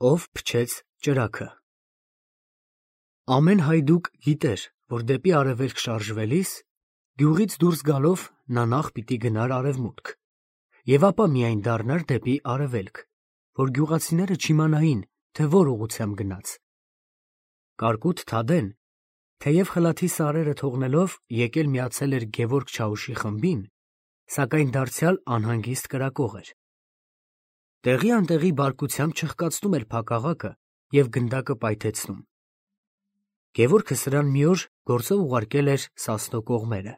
Ով փչեց ճրագը։ Ամեն հայդուկ գիտեր, որ դեպի արևելք շարժվելիս, գյուղից դուրս գալով նա նախ պիտի գնար արևմուտք, և ապա միայն դառնար դեպի արևելք, որ գյուղացիները չիմանային, թե որ ուղղությամբ գնաց։ Կարկուտ Թադեն, թեև խլաթի սարերը թողնելով եկել միացել էր Գևորգ Չաուշի խմբին, սակայն դարձյալ անհանգիստ կրակող էր։ Տեղի անտեղի բարկությամբ չխկացնում էր փակաղակը և գնդակը պայթեցնում։ Գևորգը սրան մի օր գործով ուղարկել էր Սասնո կողմերը,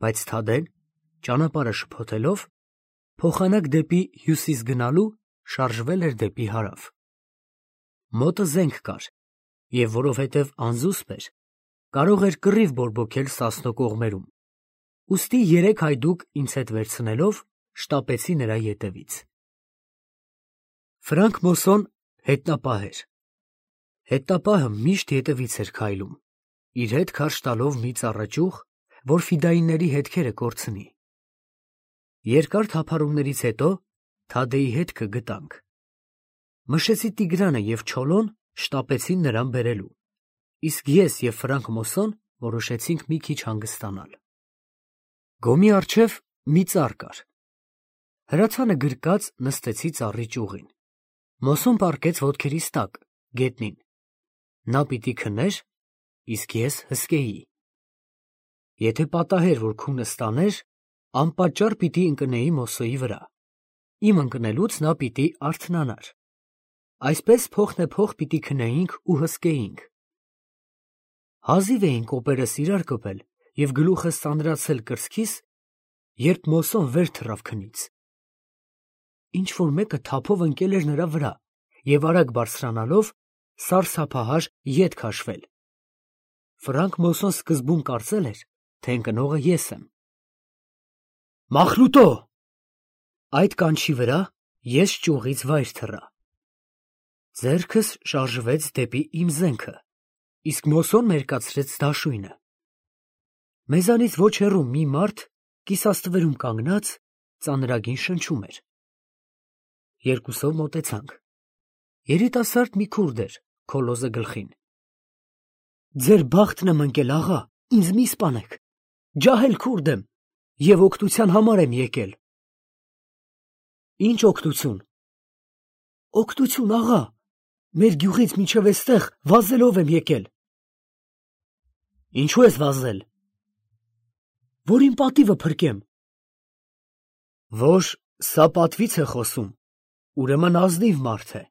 բայց Թադեն, ճանապարհը շփոթելով, փոխանակ դեպի հյուսիս գնալու, շարժվել էր դեպի հարավ։ Մոտը զենք կար, և որովհետև անզուսպ էր, կարող էր կռիվ բորբոքել Սասնո կողմերում, ուստի երեք հայդուկ ինձ հետ վերցնելով շտապեցի նրա ետևից։ Ֆրանկ Մոսոն հետնապահ էր։ Հետնապահը միշտ ետևից էր քայլում, իր հետ քարշ տալով մի ծառաճյուղ, որ ֆիդայինների հետքերը կորցնի։ Երկար թափառումներից հետո Թադեի հետքը գտանք։ Մշեցի Տիգրանը և Չոլոն շտապեցին նրան բերելու, իսկ ես և Ֆրանկ Մոսոն որոշեցինք մի քիչ հանգստանալ։ Գոմի առջև մի ծառ կար։ Հրացանը գրկած նստեցի ծառի ճյուղին։ Մոսոն պառկեց ոտքերիս տակ, գետնին։ Նա պիտի քներ, իսկ ես հսկեի։ Եթե պատահեր, որ քունը ստաներ, անպատճառ պիտի ընկնեի Մոսոյի վրա։ Իմ ընկնելուց նա պիտի արթնանար։ Այսպես փոխնեպոխ պիտի քնեինք ու հսկեինք։ Հազիվ էին կոպերս իրար կպել և գլուխս ծանրացել կրծքիս, երբ Մոսոն վեր թռավ քնից։ Ինչ-որ մեկը թափով ընկել էր նրա վրա և արագ բարձրանալով սարսափահար ետ քաշվել։ Ֆրանկ Մոսոն սկզբում կարծել էր, թե ընկնողը ես եմ։ «Մախլուտո»։ Այդ կանչի վրա ես ճյուղից վայր թռա։ Ձեռքս շարժվեց դեպի իմ զենքը, իսկ Մոսոն մերկացրեց դաշույնը։ Մեզանից ոչ հեռու մի մարդ կիսաստվերում կանգնած ծանրագին շնչում էր։ Երկուսով մոտեցանք։ Երիտասարդ մի քուրդ էր, քոլոզը գլխին։ «Ձեր բախտն եմ ընկել, աղա, ինձ մի սպանեք, ջահել քուրդ եմ և օգնության համար եմ եկել»։ «Ինչ օգնություն»։ «Օգնություն, աղա, մեր գյուղից մինչև էստեղ վազելով եմ եկել»։ «Ինչու ես վազել»։ «Որ իմ պատիվը փրկեմ»։ «Որ սա պատվից է խոսում, ուրեմն ազնիվ մարդ է»,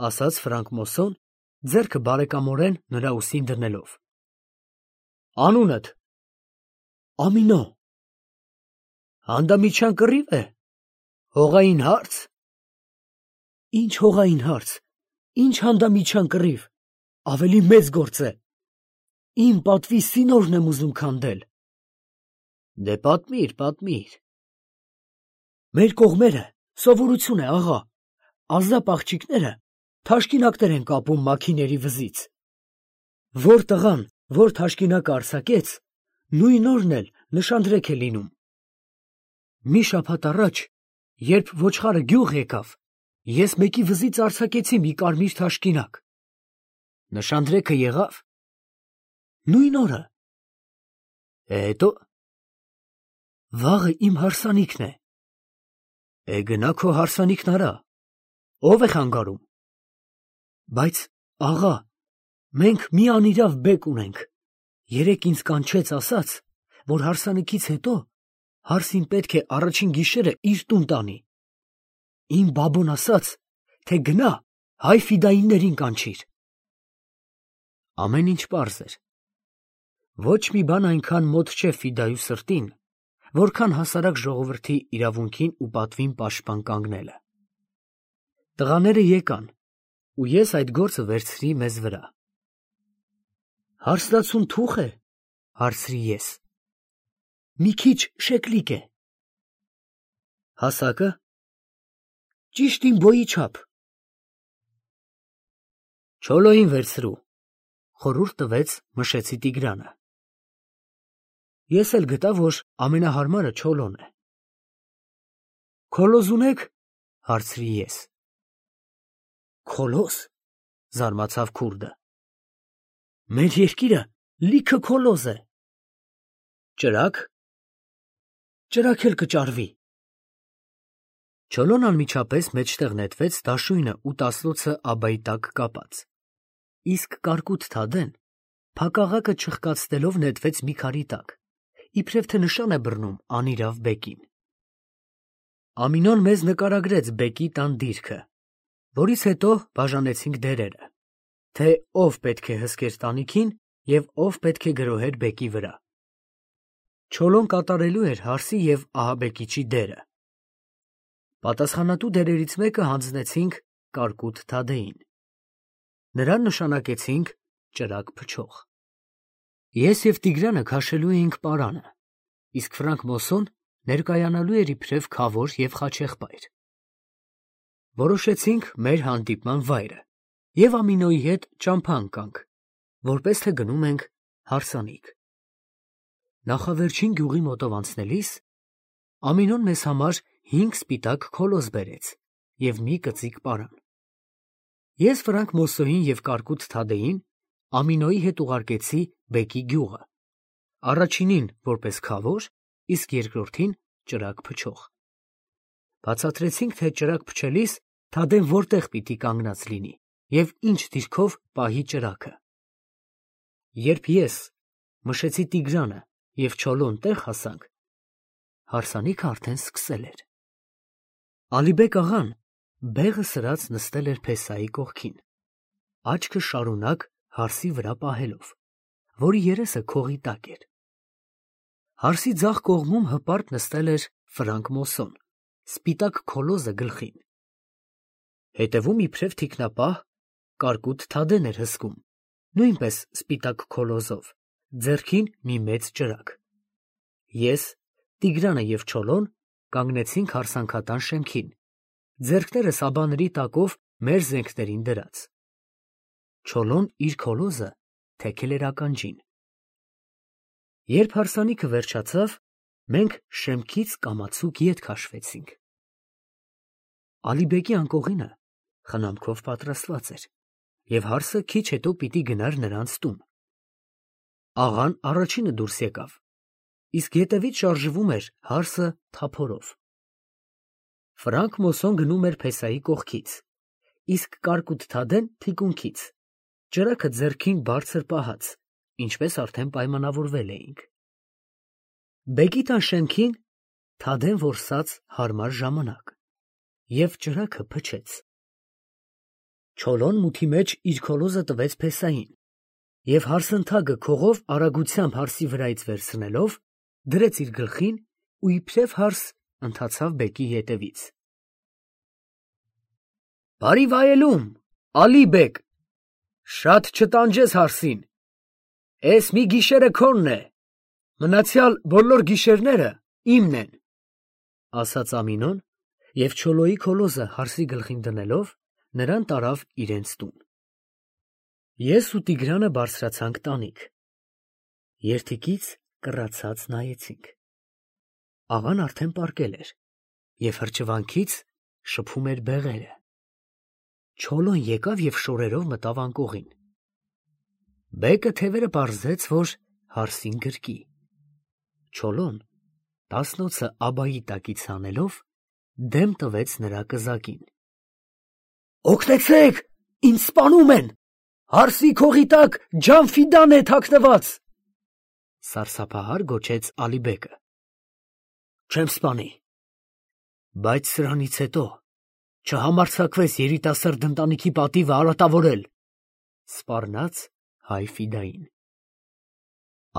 ասաց Ֆրանկ Մոսոն, ձեռքը բարեկամորեն նրա ուսին դնելով։ «Անունդ»։ «Ամինո»։ «Հանդամիջյան կռի՞վ է, հողային հարց»։ «Ինչ հողային հարց, ինչ հանդամիջյան կռիվ, ավելի մեծ գործ է։ Իմ պատվի սինորն եմ ուզում քանդել»։ «Դե պատմիր, պատմիր»։ «Մեր կողմերը սովորություն է, աղա, ազապ աղջիկները թաշկինակներ են կապում մաքիների վզից։ Որ տղան, որ թաշկինակը արձակեց, նույն օրն էլ նշանдрեք է լինում։ Մի շաբաթ առաջ, երբ ոչխարը գյուղ եկավ, ես մեկի վզից արձակեցի մի կարմիր թաշկինակ։ Նշանдрեքը եղավ։ Նույն օրը։ Հետո։ Վաղը իմ հարսանիքն է։ Գնա քո հարսանիքն արա, ով է խանգարում։ Բայց, աղա, մենք մի անիրավ բեկ ունենք, երեկ ինձ կանչեց, ասաց, որ հարսանիքից հետո հարսին պետք է առաջին գիշերը իր տուն տանի։ Իմ բաբոն ասաց, թե գնա հայ ֆիդայիններին կանչիր։ Ամեն ինչ պարզ էր։ Ոչ մի բան այնքան մոտ չէ ֆիդայու սրտին, որքան հասարակ ժողովրդի իրավունքին ու պատվին պաշտպան կանգնելը։ Տղաները եկան, ու ես այդ գործը վերցրի մեզ վրա։ Հարսնացուն թուխ է, հարցրի ես։ Մի քիչ շեկլիկ է։ Հասակը։ Ճիշտ իմ բոյի չափ։ Չոլոյին վերցրու, խորհուրդ տվեց Մշեցի Տիգրանը։ Ես էլ գտա, որ ամենահարմարը Չոլոն է։ Քոլոզ ունեք, հարցրի ես։ Քոլոս, զարմացավ քուրդը։ Մեր երկիրը լիքը քոլոզ է։ Ճրագ։ Ճրագ էլ կճարվի։ Չոլոն անմիջապես մեջտեղ նետվեց դաշույնը ու տասնոցը աբայի տակ կապած, իսկ կարկուտ Թադեն փակաղակը չխկացնելով նետվեց մի քարի տակ, իբրև թե նշան է բռնում անիրավ բեկին։ Ամինոն մեզ նկարագրեց բեկի տան դիրքը, որից հետո բաժանեցինք դերերը, թե ով պետք է հսկեր տանիքին և ով պետք է գրոհեր բեկի վրա։ Չոլոն կատարելու էր հարսի և ահաբեկիչի դերը։ Պատասխանատու դերերից մեկը հանձնեցինք կարկուտ Թադեին։ Նրան նշանակեցինք ճրագ փչող։ Ես և Տիգրանը քաշելու էինք պարանը, իսկ Ֆրանկ Մոսոն ներկայանալու էր իբրև քավոր և խաչեղբայր։ Որոշեցինք մեր հանդիպման վայրը և Ամինոյի հետ ճամփա ընկանք, որպես թե գնում ենք հարսանիք։ Նախավերջին գյուղի մոտով անցնելիս Ամինոն մեզ համար 5 սպիտակ քոլոզ բերեց և մի կծիկ պարան։ Ես Ֆրանկ Մոսոյին և կարկուտ Թադեին Ամինոյի հետ ուղարկեցի բեկի գյուղը, առաջինին որպես քավոր, իսկ երկրորդին ճրագ փչող։ Բացատրեցինք, թե ճրագ փչելիս Թադեն որտեղ պիտի կանգնած լինի և ինչ դիրքով պահի ճրագը։ Երբ ես մշեցի Տիգրանը և Չոլոն տեղ հասանք, հարսանիքը արդեն սկսել էր։ Ալիբեկ աղան բեղը սրած նստել էր փեսայի կողքին, աչքը շարունակ հարսի վրա պահելով, որի երեսը քողի տակ էր։ Հարսի ձախ կողմում հպարտ նստել էր Ֆրանկ Մոսոն, սպիտակ քոլոզը գլխին։ Հետևում իբրև թիկնապահ կարկուտ Թադեն էր հսկում, նույնպես սպիտակ քոլոզով, ձեռքին մի մեծ ճրագ։ Ես, Տիգրանը և Չոլոն կանգնեցինք հարսանքատան շեմքին, ձեռքները սաբաների տակով մեր զենքներին դրած։ Չոլոն իր քոլոզը թեքել էր ականջին։ Երբ հարսանիքը վերջացավ, մենք շեմքից կամացուկ ետ քաշվեցինք։ Ալիբեկի անկողինը խնամքով պատրաստված էր, և հարսը քիչ հետո պիտի գնար նրանց տուն։ Աղան առաջինը դուրս եկավ, իսկ ետևից շարժվում էր հարսը թափորով։ Ֆրանկ Մոսոն գնում էր փեսայի կողքից, իսկ կարկուտ Թադեն թիկունքից, ճրագը ձեռքին բարձր պահած, ինչպես արդեն պայմանավորվել էինք։ Բեկի տան շեմքին Թադեն որսաց հարմար ժամանակ և ճրագը փչեց։ Չոլոն մութի մեջ իր քոլոզը տվեց փեսային և հարսընթագը քողով արագությամբ հարսի վրայից վերցնելով, դրեց իր գլխին ու իբրև հարս ընթացավ բեկի ետևից։ Բարի վայելում, Ալի բեկ, շատ չտանջես հարսին, էս մի գիշերը քոնն է, մնացյալ բոլոր գիշերները իմն են, ասաց Ամինոն և Չոլոյի քոլոզը հարսի գլխին դնելով, նրան տարավ իրենց տուն։ Ես ու Տիգրանը բարձրացանք տանիք։ Երդիկից կռացած նայեցինք։ Աղան արդեն պառկել էր և հրճվանքից շփում էր բեղերը։ Չոլոն եկավ և շորերով մտավ անկողին։ Բեկը թևերը պարզեց, որ հարսին գրկի։ Չոլոն տասնոցը աբայի տակից հանելով, դեմ տվեց նրա կզակին։ Օգնեցե՛ք, ինձ սպանում են, հարսի քողի տակ Ջանֆիդան է թաքնված, սարսափահար գոչեց Ալիբեկը։ Չեմ սպանի, բայց սրանից հետո չհամարձակվես երիտասարդ ընտանիքի պատիվը արատավորել, սպառնաց հայ Ֆիդային։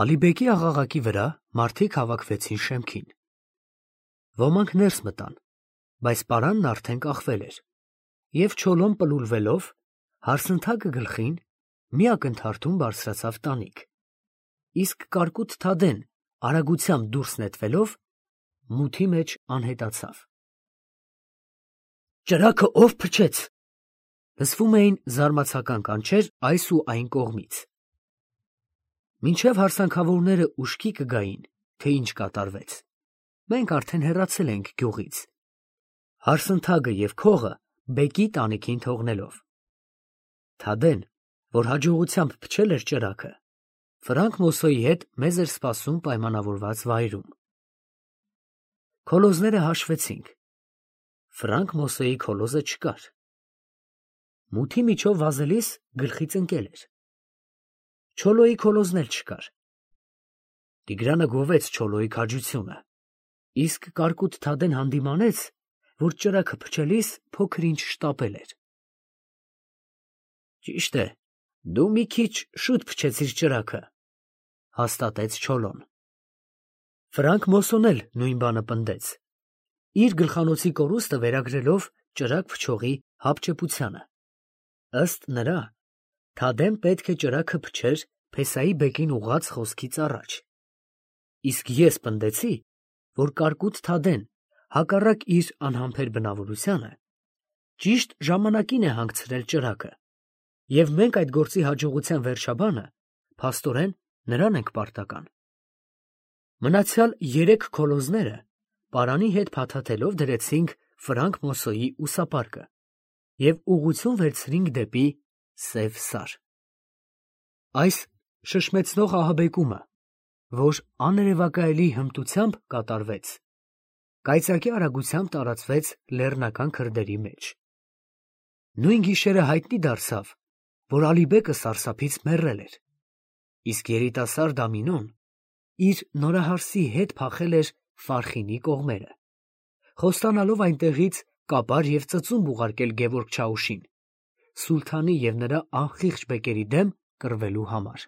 Ալիբեկի աղաղակի վրա մարդիկ հավաքվեցին շեմքին։ Ոմանք ներս մտան, բայց պարանն արդեն կախվել էր, և Չոլոն պլուլվելով, հարսընթագը գլխին, մի ակնթարթում բարձրացավ տանիք, իսկ կարկուտ Թադեն արագությամբ դուրս նետվելով, մութի մեջ անհետացավ։ Ճրագը ով փչեց, լսվում էին զարմացական կանչեր այս ու այն կողմից։ Մինչև հարսանքավորները ուշքի կգային, թե ինչ կատարվեց, մենք արդեն հեռացել էինք գյուղից, հարսընթագը և քողը բեկի տանիքին թողնելով։ Թադեն, որ հաջողությամբ փչել էր ճրագը, Ֆրանկ Մոսոյի հետ մեզ էր սպասում պայմանավորված վայրում։ Քոլոզները հաշվեցինք։ Ֆրանկ Մոսոյի քոլոզը չկար։ Մութի միջով վազելիս գլխից ընկել էր։ Չոլոյի քոլոզն էլ չկար։ Տիգրանը գովեց Չոլոյի քաջությունը, իսկ կարկուտ Թադեն հանդիմանեց, որ ճրագը փչելիս փոքր ինչ շտապել էր։ Ճիշտ է, դու մի քիչ շուտ փչեցիր ճրագը, հաստատեց Չոլոն։ Ֆրանկ Մոսոն էլ նույն բանը պնդեց, իր գլխանոցի կորուստը վերագրելով ճրագ փչողի հապճեպությանը։ Ըստ նրա, Թադեն պետք է ճրագը փչեր Փեսայի բեկին ուղղած խոսքից առաջ, իսկ ես պնդեցի, որ կարկուտ Թադեն, հակառակ իր անհամբեր բնավորությանը, ճիշտ ժամանակին է հանգցրել ճրագը, և մենք այդ գործի հաջողության վերջաբանը փաստորեն նրան ենք պարտական։ Մնացյալ 3 քոլոզները պարանի հետ փաթաթելով դրեցինք Ֆրանկ Մոսոյի ուսապարկը և ուղղություն վերցրինք դեպի Սև Սար։ Այս շշմեցնող ահաբեկումը, որ աներևակայելի հմտությամբ կատարվեց, կայծակի արագությամբ տարածվեց լեռնական քրդերի մեջ։ Նույն գիշերը հայտնի դարձավ, որ Ալիբեկը սարսափից մեռել էր, իսկ երիտասարդ Ամինոն իր նորահարսի հետ փախել էր Ֆարխինի կողմերը, խոստանալով այնտեղից կապար և ծծումբ ուղարկել Գևորգ Չաուշին, սուլթանի և նրա անխիղճ բեկերի դեմ կռվելու համար։